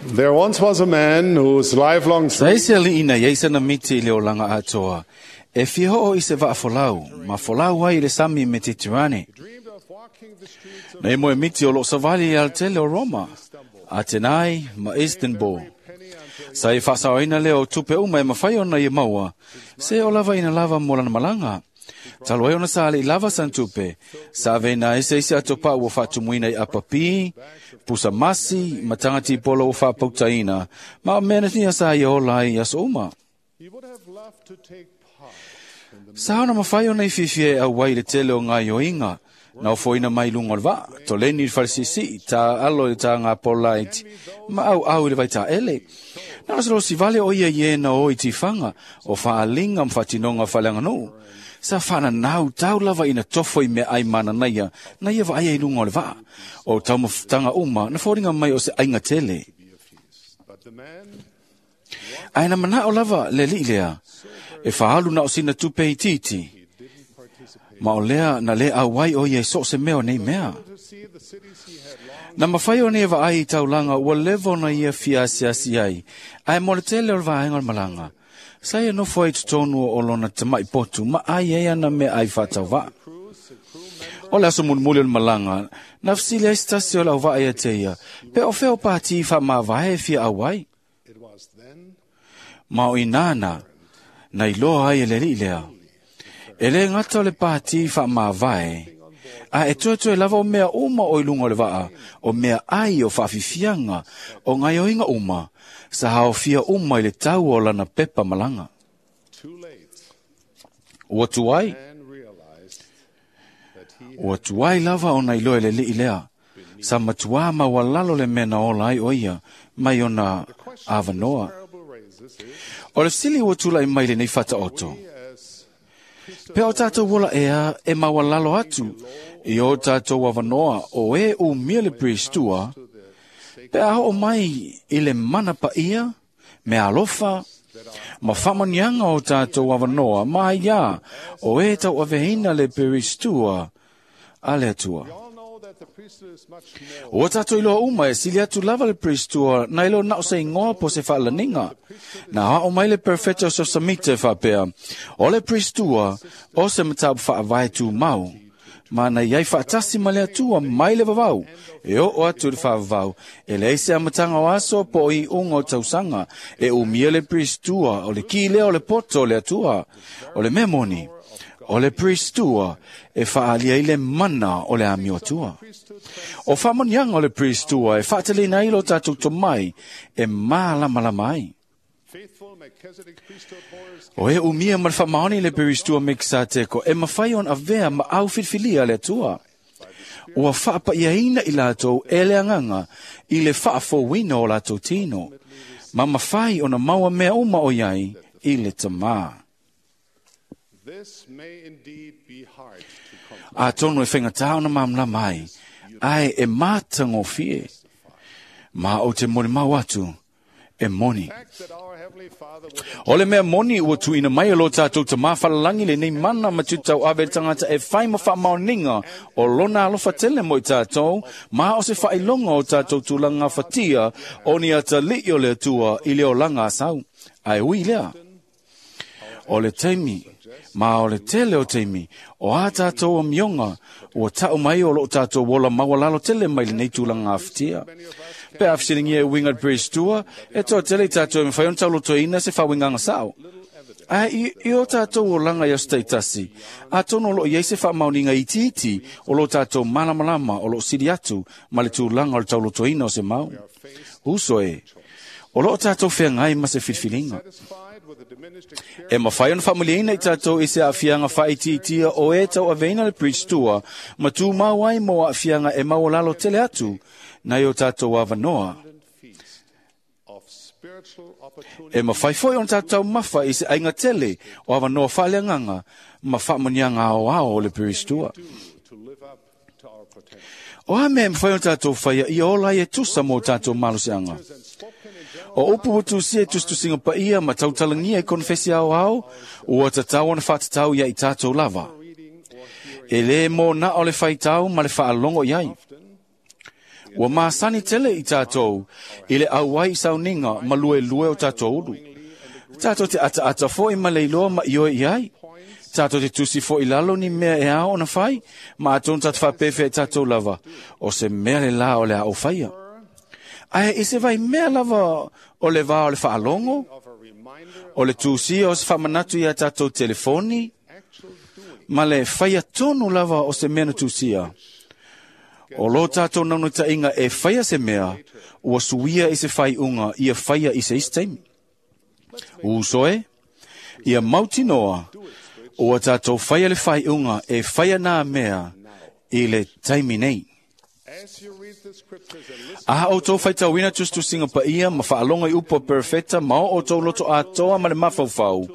There once was a man whose lifelong Sa ese ali ina iai sana miti i le olanga atoa. E fia hoo i se vaa folau, ma folau ai i le sami Mediterane. dreamed of walking the streets of Na imo e miti o loo savali i altele o Roma, Atenai ma Istanbul. penny until Sa i whaasaoina leo o tupe uma e mawhai ona i maua, se o lava ina lava mo lana malanga. Talo ai ona sa ale i lava san tupe, sa veina ese isi ato pa ua whaatumuina i apapi, pusa masi, matangati polo ua whaapautaina, ma o mea nia sa i ola ai aso uma. he would have loved to take part in the Sa ona mawhai ona i whiwhia e au ai le tele o ngā ioinga, na ofoina mai lunga o le vaa, toleni i le falesisi, tā alo i tā ngā polaiti, ma au au i le vai tā ele. Na o se vale o ia i na o i tiwhanga, o whaalinga mwhatinonga whaleanganuu. Sa whana nau tau lava ina tofo i mea ai mana naia, na ia wa ai lunga o le vaa. O taumafutanga uma, na fōringa mai o se ainga tele. be a feast. But the man Ai na mana o lava le li lea, e whaalu na o sina tupe i titi. he didn't participate. Ma o lea na le au ai o ia i so se mea o nei mea. To see the cities he had longed Na mawhai o nei wa ai i taulanga ua levo na ia fiasiasi ai. Ai mo le tele o le vaenga o le malanga. Sa ia nofo ai totonu o lona tamai potu ma ai ai ana mea ai whātau cruise, a crew member O le aso mulimuli o le malanga, na fesili ai se tasi o lau vaa ia te ia, pe o feo pāti wha mavae e fia au ai. It was then Ma o inana, na iloa ai e le lii lea. E le ngata o le pāti wha mavae, a e tuatue lava o mea uma o ilunga o le vaa, o mea ai o whaafifianga, o ngaioinga uma, sa haofia uma i le tau o lana pepa malanga. too late. Ua tuai, Man realized that he ua tuai lava o na iloa e le lii lea. Sa matua ma walalo le mea na ola ai o ia, mai ona avanoa. parable raises is O le sili ua tula i mai le nei whata oto. as Pe o tātou wola ea e mawalalo atu i o tātou avanoa o e u mia le priestua, to the pe a o mai i le mana pa ia, me alofa, ma whamanianga o tātou avanoa, ma ia, o e tau avehina le priestua a le atua. We all know that the priesthood is much more O tātou iloa uma e sili atu lava le priestua na ilo na o se ingoa po se whaalaninga. Na hao mai le perfecto so samite whapea. O le priestua o se matabu whaavae tū mau. Ma na iai whaatasi ma le atua mai le vavau. E o o atu le whaavau. E le ese amatanga o aso po i unga o tausanga. E umia le priestua o le ki lea o le poto o le atua. O le memoni. O le priestua e whaalia i le mana o le ami o atua. O whamanianga o le priestua e whaatalina ilo tātou tomai e mālamalama ai. faithful Melchizedek priesthood holders O e umia ma le whamaoni le priestua Mekisateko e mawhai on avea ma au filfilia le atua. Ua whaapa ia ina i lātou e le anganga i le whaafowina o lātou tino. Ma mawhai ona maua mea uma o iai i le tamā. This may indeed be hard to comprehend. A tono e whengatā ona mamla mai, ai e mātangofie. Ma o te mori mau atu, e moni. Fact that our Heavenly Father would O le mea moni ua tuina mai o lo tātou te māwhalalangi le nei mana ma tutau ave le tangata e whai ma whaamaoninga o lona alofa tele mo i tātou, ma o se whailonga o tātou tūlanga whatia o ni ata li o le atua i le o langa asau. Ai ui lea. O le teimi, ma o le tele o teimi, o a tātou o mionga, o tau mai o lo tātou wola mawalalo tele mai le nei tūlanga awhitia. Pe awhisiringia e winga le priestua, e toa tele i tātou e mwhai on tauloto ina se whawinganga sao. A i o tātou o langa i o steitasi, a tono lo iei se whamauninga i titi o lo tātou malamalama o lo siri atu ma le tūlanga o le tauloto ina o se mau. Uso e, o lo tātou whengai ma se filfilinga. satisfied with the diminished experience E mawhai ona whamuliina i tātou i se awhianga whaitiitia o e tau aveina le priestua, ma tū mau ai mo awhianga e maualalo tele atu, na i o tātou avanoa. feast of spiritual opportunity E mawhai foi ona tātou mawha i se ainga tele o avanoa whaaleanganga, ma whamanianga ao ao o le priestua. do to live up to our potential. O a mea mawhai ona tātou whaia i ola i e tusa mō tātou maluseanga. And spoken in general O upu utu si e tustusinga pa ia ma tautalangia e konfesi ao ao, ua tatau ona whātatau ia i tātou lava. reading or hearing E le mō na o le whaitau ma le whaalongo iai. often, Ua masani tele i tātou i le auai i sauniga ma lue lue o tātou ulu. Tātou te ata ata foi ma leiloa ma ioe i ai. Tātou te tusi foi lalo ni mea e ao ona fai, ma atonu tātou whapefe e tātou lava, o se mea le la o le a o whaia. Ae i se vai mea lava o le vā o le whaalongo, o le tusia o se whamanatu i a tātou telefoni, ma le whaia tonu lava o se mea na tusia. O lo tātou naunu tainga e whaia se mea, ua suia i se whai unga, ia whaia i se isi taimi. Uso e, ia mautinoa, ua tātou whaia le whai unga e whaia nā mea i le taimi nei. Aha o tō whaitauina tustusinga pa ia ma whaalonga i upo perfecta ma o tō loto atoa ma le mawhauwhau.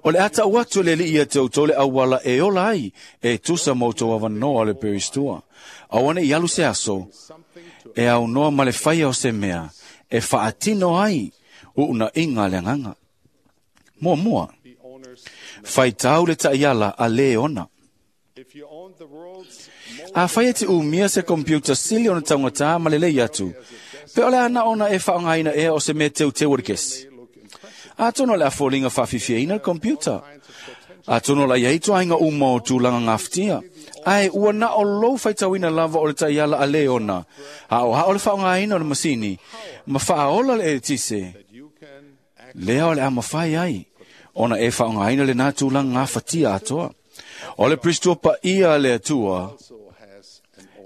O le ata uatu le li ia te o tō le awala e ola ai e tusa mō tō awanoa le peristua. Awane i alu se aso e au noa ma le whaia o se mea e whaatino ai uuna inga le nganga. Mua mua, whaitau le taiala a le ona. A whaia te umia se computer sili ona taungata ma le lei atu. Pe ole ana ona e whaongaina ea o se mea teu teu o kesi. A tono le afolinga whawhiwhiaina le computer. A tono la iei tuainga uma o tūlanga ngawhtia. Ae ua na o lou whaitauina lava o le taiala a le ona. A o hao le whaongaina o le masini. Ma whaola le e tise. Lea o le ama whai ai. Ona e whaongaina le nā tūlanga ngawhatia atoa. O le pristua pa ia le atua,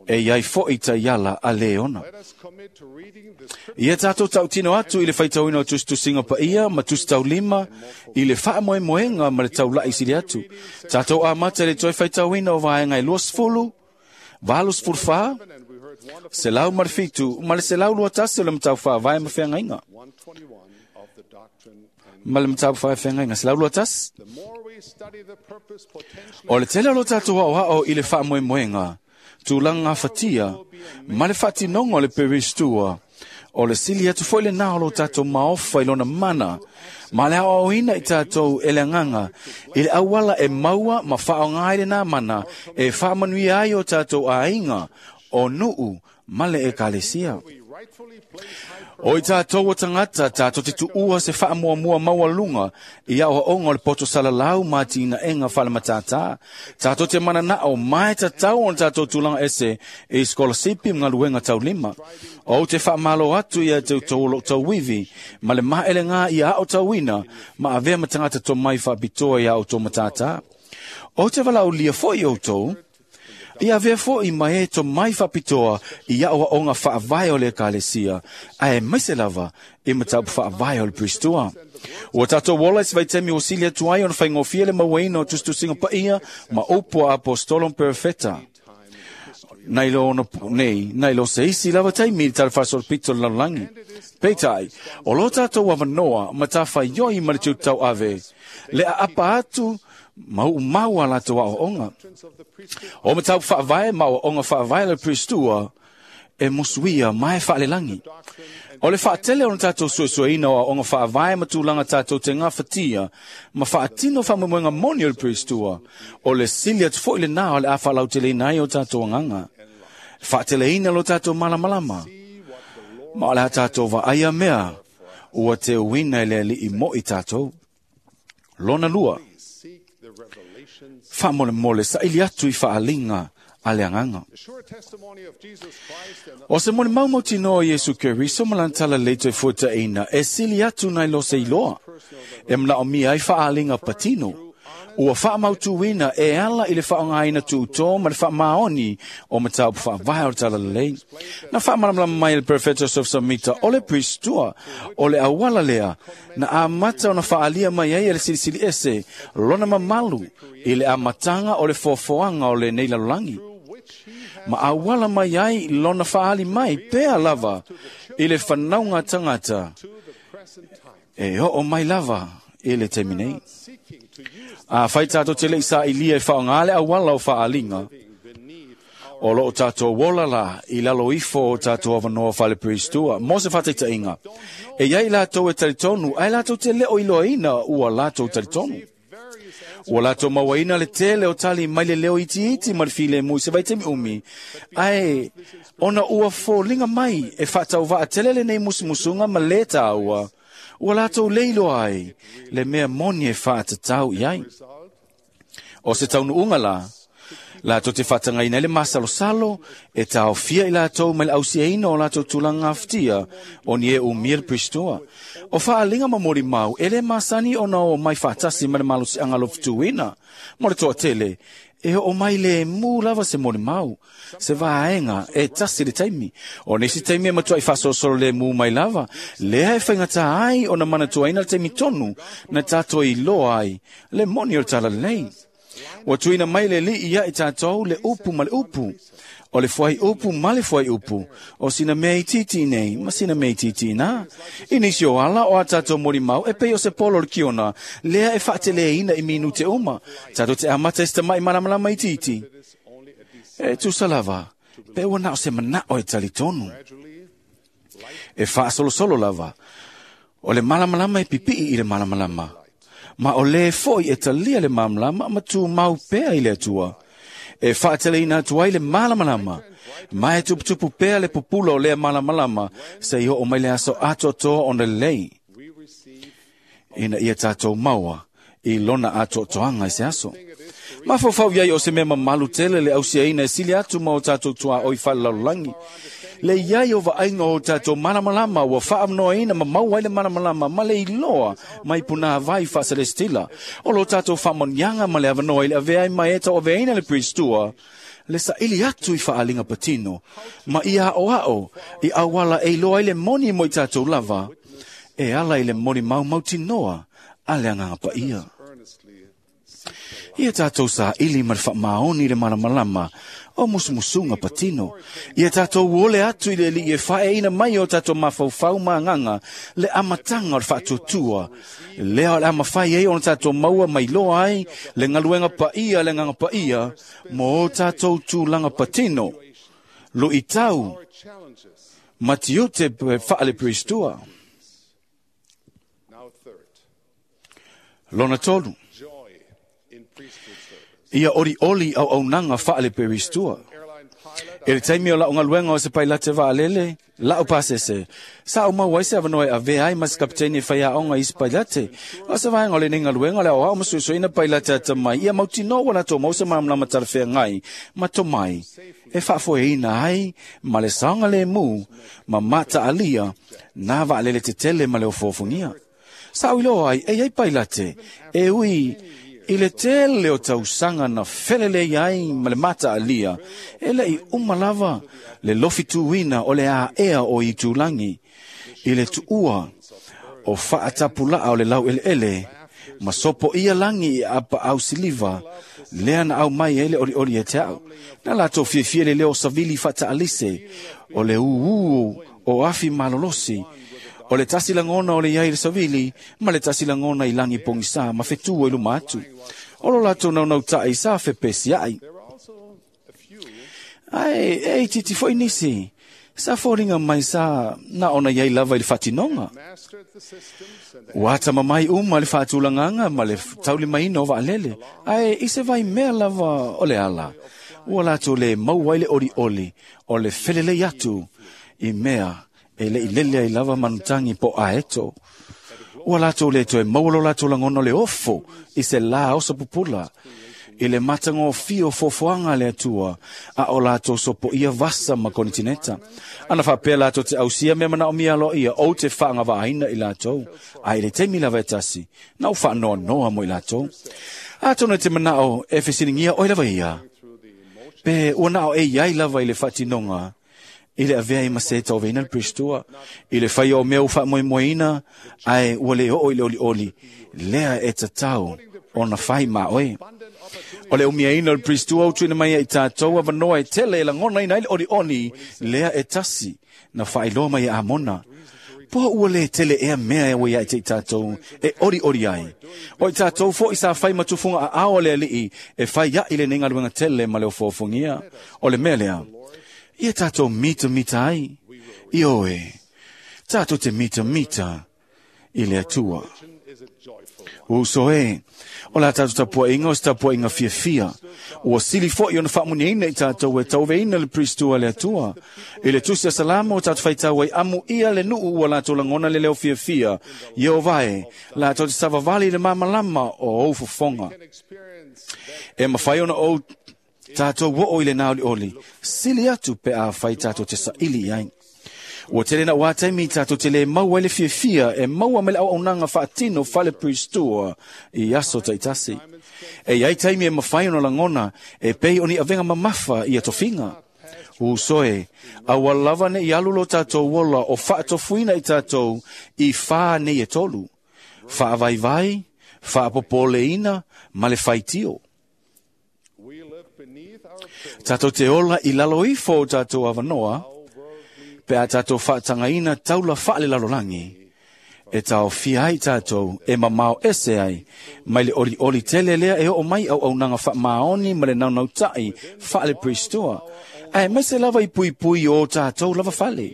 e iai foi taiala a le ona. Ia tātou tautino atu i le whaitauina o tustusinga pa ia, ma tustau lima, i le whaamoemoenga ma le taulai sili atu. Tātou amata le toi whaitauina o vaenga e 20, 84, 107, ma le 121 o le matau whaavae ma wheangainga. Ma le matau whaavae wheangainga, 121. O le tele o lo tātou ao i le whaamoemoenga, tūlanga whatia, ma le whatinonga o le peristua, o le sili atu foi le nā o lo tātou maofa i lona mana, ma le aoaoina i tātou e le nganga, i le awala e maua ma whaongai le nā mana, e whaamanuia ai o tātou ainga, o nuu, ma le ekalesia. O i tātou o tangata, tātou te tuua se whaamuamua maualunga i au haonga o le poto salalau mā tina enga whalamatata. Tātou te mana o mai tatau o tātou tūlanga ese e skolasipi mga luenga taulima. O te whaamalo atu ia te tau tauwivi, ma le maele ngā i ao tauina, ma avea matangata tō mai whaapitoa i ao tō matata. O te walaulia foi o tō, ia vea foi mai e tō mai whapitoa i au onga whaavae o le ekalesia, ae maise lava i matau whaavae o le pristua. Ua tātou wola i vaitemi o silia tuai ona whaingofia le mauaina o tustusinga paia ma upo a apostolon perfecta. Nei lo ono nei, nei lo se isi lava taimi i tala whasol pito le lallangi. Peitai, o lo tātou awanoa ma tā whaioi ma le tūtau ave, le a apa atu mau mau a latou aoaoga. O matau faavae ma aoaoga faavae le pristua e musuia mai faalelagi. O le faatele ona tatou suesueina o aoaoga faavae ma tulaga tatou te gafatia ma faatino faamoemoega moni o le pristua. O le sili atu foʻi lenā o le a faalauteleina ai o tatou agaga. Faateleina lo tatou malamalama. Ma o le a tatou vaaia mea ua teuina i le alii moʻi tatou. Lona lua, whaamole sa ili atu i whaalinga a le anganga. O se mone maumau tino o Yesu Keriso malantala leito e fuataina e sili atu nai lo se iloa. E mna o mia ai whaalinga patino. Ua whaamautuina e ala i le whaongaina tuutō ma le whaamaoni o matau whaavae o le tala lelei. Na whaamalamalama mai le Perfecto Joseph Samita o le pristua o le awala lea na amata ona whaalia mai ai e le silisili ese lona mamalu i le amatanga o le foafoanga o le nei lalolagi. Ma awala mai ai lona whaali mai pea lava i le whanaunga tangata e oo mai lava i le taimi nei. A whai tātou te lei sa ilia e whaongale a wala o whaalinga. O loo tātou wola la i lalo ifo o tātou awanoa whale peristua. Mo se whataitainga. E iai lātou e taritonu, ai lātou te leo iloaina ua lātou taritonu. Ua lātou mauaina le tele o tali mai le leo iti iti ma le file mui se vaitemi umi. Ai Ona ua foliga mai e faatauvaatele lenei musumusuga ma lē tāua, ua latou le iloa ai le mea moni e faatatau i ai. O se taunuuga la, latou te faatagaina ai le masalosalo e taofia i latou mai le ausiaina o latou tulaga gafatia o ni e umia le Perisitoa. O faaliga ma molimau e lē masani ona o mai faatasi ma le malosiaga alofutuina. Mo le toatele, e oo mai lemu lava se molimau, se vaega e tasi le taimi. O nisi taimi e matuai faasolosolo lemu mai lava, lea e faigatā ai ona manatuaina le taimi tonu na tatou iloa ai le moni o le talalelei. Ua tuuina mai le Alii ia i tatou le upu ma le upu, o le fuaiupu ma le fuaiupu, o sina mea itiiti nei ma sina mea itiiti iná. I nisi o ala o a tatou molimau e pei o se polo o le kiona, lea e faateleina i minute uma, tatou te amata i se tama'i malamalama itiiti. E tusa lava, pe ua na o se manao e talitonu. E faasolosolo lava, o le malamalama e pipii i le malamalama, ma o lē foi e talia le malamalama ma tumau pea i le Atua. E faateleina atu ai le malamalama, ma e tuputupu pea le pupula o lea malamalama seia oo mai le aso atoatoa ona lelei, ina ia tatou maua i lona atoatoaga i se aso. Mafaufau i ai o se mea mamalu tele le ausiaina e sili atu ma o tatou tuaoi faalelalolagi. Le iai o vaaiga o tatou malamalama ua faamanoaina ma maua ai le malamalama ma le iloa mai punāvai faaselestila. O lo tatou faamanuiaga ma le avanoa i le avea ai ma e tauaveaina le Perisitoa, le saili atu i faaliga patino, ma ia aoao i auala e iloa ai le moni mo i tatou lava, e ala i le molimau mautinoa a le Agaga Paia. Ia tatou saili ma le faamaoni i le malamalama o musumusuga patino. Ia tatou ole atu i le Alii e faaeaina mai o tatou mafaufau ma agaga le amataga o le faatuatua. Lea o le a mafai ai ona tatou maua ma iloa ai le galuega paia le Agaga Paia mo o tatou tulaga patino, luitau ma tiute faale-Perisitoa. Lona tolu, ia olioli auaunaga faale-Perisitoa. I le taimi o lau galuega o se pailate vaalele, lau pasese, sa ou maua ai se avanoa e avea ai ma se kapiteni e faiaoga i isi pailate. O se vaega o lenei galuega o le aoao ma suesueina pailate atamai, ia mautinoa ua latou maua se malamalama talafeagai ma tomai e faafoeina ai ma le saogalemu ma mataalia nā vaalele tetele ma le ofoofogia. Sa ou iloa ai e i ai pailate e ui i le tele o tausaga na felelei ai ma le mataalia, e le'i uma lava le lofituina o le aea o itulagi i le tuua o faatapulaa o le laueleele ma sopoia lagi i apaau siliva lea na aumai ai le olioli e te au. Na latou fiafia le leo savili faataalise o le ūū o afi malolosi, o le tasi lagona o le iai le savili ma le tasi lagona i lagi pogisā ma fetua i luma atu. O lo latou naunauta'i sa fepesia'i. Ae e itiiti foi nisi sa foliga mai sa na ona iai lava i le faatinoga. Ua atamamai uma le faatulagaga ma le taulimaina o vaalele, ae i se vaimea lava o le ala, ua latou lē maua ai le olioli o le felelei atu i mea e le'i lele ai lava manutagi po o aeto. Ua latou lē toe maua lo latou lagona o le ofo i se lā oso pupula, i le matagofie o foafoaga a le Atua, a o latou sopoia vasa ma konitineta. Ana faapea latou te ausia mea manaomia aloaia, ou te faagavaaina i latou, ae i le taimi lava e tasi, na ou faanoanoa mo i latou. Atonu e te manao e fesiligia oe lava ia, pe ua na o e iai lava i le faatinoga i le avea ai ma se tauaveina le Perisitoa, i le faia o mea ua faamoemoeina, ae ua le oo i le olioli, lea e tatau ona fai ma oe. O le umiaina o le Perisitoa ua tuuina mai ai i tatou avanoa e tele e lagonaina ai le olioli, lea e tasi na faailoa mai e Amona. Po ua lē tele ea mea e ua ia te i tatou e olioli ai. O i tatou foi sa fai ma tufuga aao a le Alii e fai a'i lenei galuega tele ma le ofoofogia. O le mea lea, ia tatou mitamita ai. Ioe, tatou te mitamita i le Atua. Uso e, o la tātou tapuainga o se tapuainga fiafia. Ua sili foi ona faamuniaina i tātou e tauveina le Pristua le Atua. I le tusi a Salamo o tātou whaitau ai amu ia le nuu ua lātou langona le leo fiafia. Ieova e, lātou te savavali le mamalama o ou fofonga. E mawhai ona ou tātou wo o i le naoli oli. Sili atu pe a whai tātou te saili ai. Ua tele na wā taimi tātou te le maua le fiafia e maua me le au aunanga whaatino whale pristua i aso taitasi. E iai taimi e mawhai ona langona e pei oni avenga mamafa i atofinga. Usoe, aua lava ne i alulo tātou ola o whaatofuina i tātou i whā nei e tolu. Whaavaivai, whaapopoleina, ma le whaitio. Tātou te ola i lalo ifo o tātou awanoa, pe a tātou whaatangaina taula whaale lalolangi, e tau fia ai tātou e mamao ese ai, mai le oli oli tele lea e o mai au au nanga wha maoni ma le naunau tai whaale pristua, ai mai se lava i pui pui o tātou lava whale.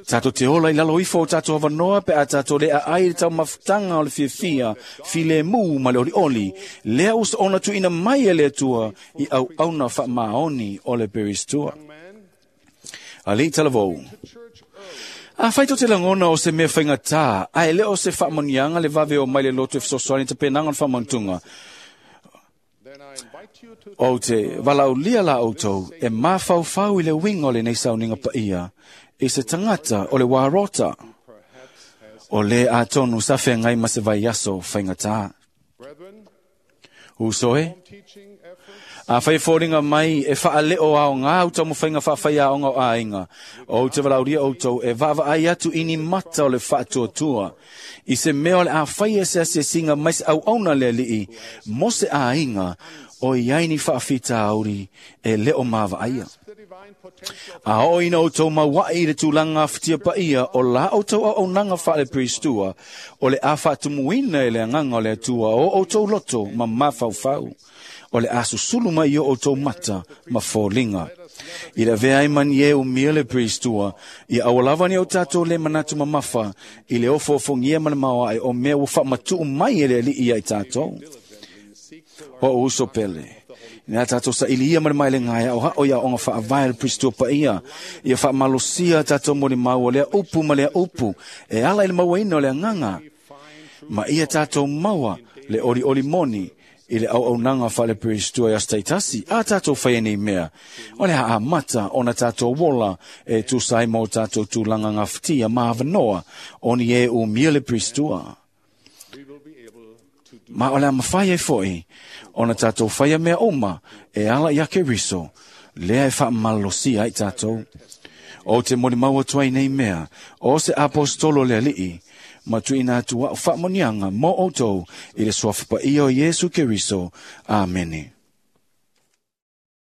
Tātou te ola i lalo ifo o tātou awanoa pe a tātou lea ai le tau mafutanga o le fiafia, file mū ma le oli oli, lea usa ona tuina mai e le atua i au auna wha maoni o le peristua. Ali talavou. A whaito te langona o se mea whainga tā, a e leo se whaamonianga le vave o mai le loto e fesoasoani te penanga o le whaamantunga. O te walaulia la outou e mawhauwhau i le winga o le nei sauninga paia, i se tangata o le wārota. O le atonu sa whengai ma se vai aso whainga tā. Usoe? A whai fōringa mai e whaaleo ao ngā uta mo whainga whaawhai a onga o āinga. O te walauria outou e vava ai atu ini mata o le whaatuatua. I se mea o le a whai e se asesinga mai se au auna le alii, mo se āinga o iaini whaawhita auri e leo mawa aia. A o ina outou mauai i le tūlanga whitia paia o la outou au aunanga whaale pristua o le a whaatumuina e le anganga o le atua o outou loto ma mawhauwhau. O le asusulu mai o outou mata ma fōlinga. I le vea ai mani e umia le pristua, i awalawa ni o tātou le manatu mamafa, i le ofoofongia ma le maoa e o mea ua whaamatu mai e le alii ai tātou. O uso pele. Nā tātou sa ili ia mare mai le ngai o hao ia onga whaavae le pristua pa ia. Ia whaamalosia tātou mo le maua lea upu ma lea upu. E ala i le maua ina o le anganga. Ma ia tātou maua le ori ori moni i le au aunanga whale pristua i astaitasi. A tātou whai nei mea. O le haa mata o na tātou wola e tūsai mō tātou tūlanga ngā whitia maavanoa o ni e umia le pristua. Ma o le mawhai e foi, o na tātou whaia mea oma, e ala i ake riso, lea e whaamalosia ai tātou. O te mori maua tuai nei mea, o se apostolo le alii, ma tuina atu wao whaamonianga mō outou i le suafa paia o Iesu Keriso. Amene.